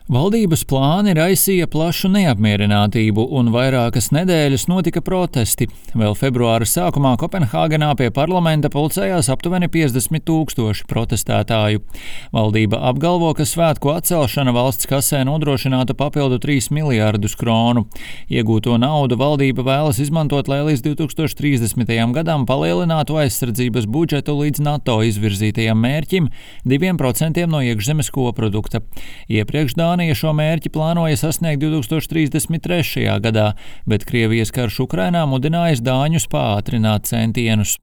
Valdības plāni raisīja plašu neapmierinātību un vairākas nedēļas notika protesti. Vēl februāra sākumā Kopenhāgenā pie parlamenta pulcējās aptuveni 50 000 protestētāju. Valdība apgalvo, ka svētku atcelšana valsts kasē nodrošinātu papildu 3 miljārdus kronu. Iegūto naudu valdība vēlas izmantot, lai līdz 2030. gadam palielinātu aizsardzības budžetu līdz NATO izvirzītajam mērķim 2% no iekšzemes koprodukta. Iepriekš Dānija šo mērķi plānoja sasniegt 2033. gadā, bet Krievijas karš Ukrainā mudinājis dāņus pātrināt centienus.